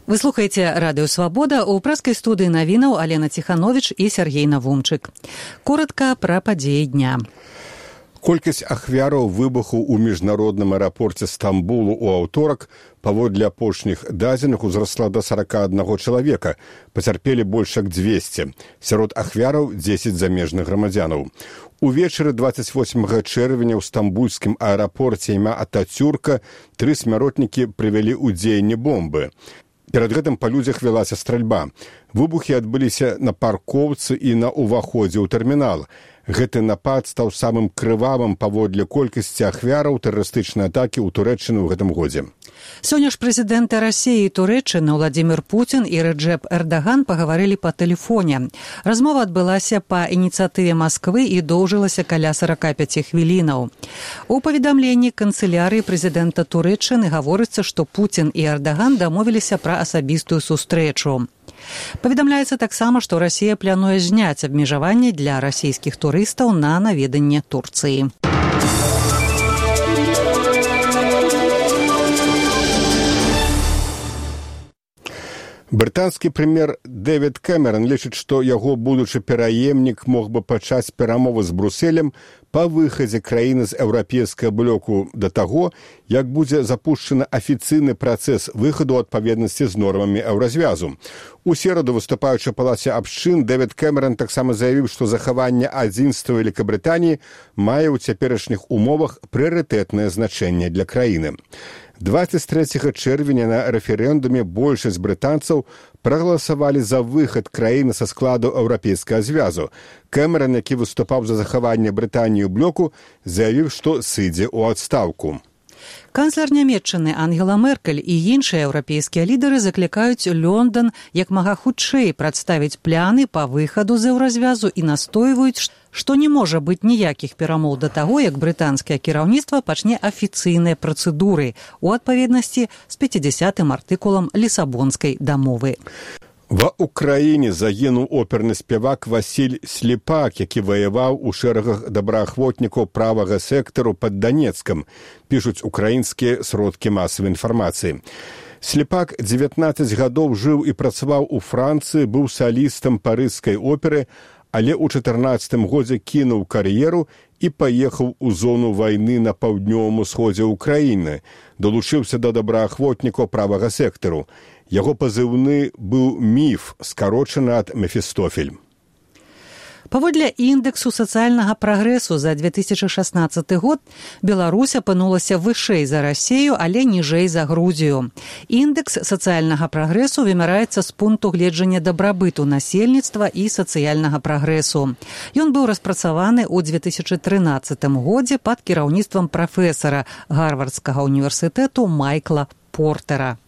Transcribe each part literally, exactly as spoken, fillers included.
Вы слухаеце радыё «Свабода», у прэскай студыі навінаў Алена Ціхановіч і Сергей Навумчык. Коратка пра падзеі дня. Колькасць ахвяраў выбуху ў міжнародным аэрапорце Стамбулу ў аўторак паводле апошніх дадзеных узрасла да сорока аднаго чалавека. Пацярпелі больш як дзвесце. Сярод ахвяраў дзесяць замежных грамадзянаў. Увечары двадцать восьмага чэрвеня ў стамбульскім аэрапорце імя Ататюрка тры смяротнікі прывялі ў дзеянне бомбы. Перад гэтым па людзях вялася стральба. Выбухі адбыліся на паркоўцы і на ўваходзе ў тэрмінал. Гэты напад стаў самым крывавым паводле колькасці ахвяраў тэрарыстычнай атакі ў Турэччыны ў гэтым годзе. Сёння ж прэзідэнты Расіі і Турэччыны Владзімір Пуцін і Рэджэп Эрдаган пагаварылі па тэлефоне. Размова адбылася па ініцыятыве Масквы і доўжылася каля сорока пяти хвілінаў. У паведамленні канцылярыі прэзідэнта Турэччыны гаворыцца, што Пуцін і Эрдаган дамовіліся пра асабістую сустрэчу. Паведамляецца таксама, што Расія плануе зняць абмежаванні для расійскіх турыстаў на наведанне Турцыі. Брытанскі прэм'ер Дэвід Кэмерон лічыць, што яго будучы пераемнік мог бы пачаць перамовы з Брусэлем па выхадзе краіны з еўрапейскага блоку да таго, як будзе запушчаны афіцыйны працэс выхаду ў адпаведнасці з нормамі еўразвязу. У сераду, выступаючы ў палаце абшчын, Дэвід Кэмерон таксама заявіў, што захаванне адзінства Вялікабрытаніі мае ў цяперашніх умовах прыярытэтнае значэнне для краіны. двадцать трэцяга чэрвеня на рэферэндуме большасць брытанцаў прагаласавалі за выхад краіны са складу еўрапейскага звязу. Кэмерон, які выступаў за захаванне Брытаніі ў блоку, заявіў, што сыдзе ў адстаўку. Канцлер Нямецчыны Ангела Меркель і іншыя еўрапейскія лідары заклікаюць Лондан як мага хутчэй прадставіць пляны па выхаду з еўразвязу і настойваюць, што не можа быць ніякіх перамоў да таго, як брытанскае кіраўніцтва пачне афіцыйныя працэдуры у адпаведнасці з пяцідзясятым артыкулам Лісабонскай дамовы. Ва Ўкраіне загінуў оперны спявак Васіль Сліпак, які ваяваў у шэрагах добраахвотнікаў правага сектару пад Данецкам, пішуць украінскія сродкі масавай інфармацыі. Сліпак дзевятнаццаць гадоў жыў і працаваў у Францыі, быў салістам парыжскай оперы, але ў чатырнаццатым годзе кінуў кар'еру і паехаў у зону вайны на паўднёвым усходзе ўкраіны, далучыўся да добраахвотнікаў правага сектару. Яго пазыўны быў «Міф», скарочаны ад «Мефістофель». Паводле індэксу сацыяльнага прагрэсу за две тысячы шаснаццаты год Беларусь апынулася вышэй за Расію, але ніжэй за Грузію. Індэкс сацыяльнага прагрэсу вымяраецца з пункту гледжання дабрабыту насельніцтва і сацыяльнага прагрэсу. Ён быў распрацаваны ў две тысячы трынаццатым годзе пад кіраўніцтвам прафесара Гарвардскага універсітэту Майкла Портера.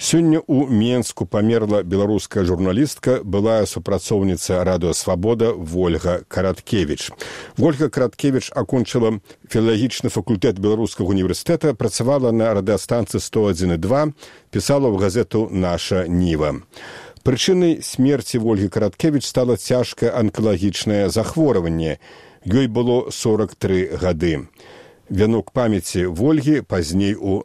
Сёння ў Менску памерла беларуская журналістка, былая супрацоўніца радыё «Свабода» Вольга Караткевіч. Вольга Караткевіч акончыла філалагічны факультэт Беларускага універсітэта, працавала на радыёстанцыі сто адзін і два, пісала ў газету «Наша Ніва». Прычынай смерці Вольгі Караткевіч стала цяжкае анкалагічнае захворванне. Ёй было сорок тры гады. Вянок памяці Вольгі пазней у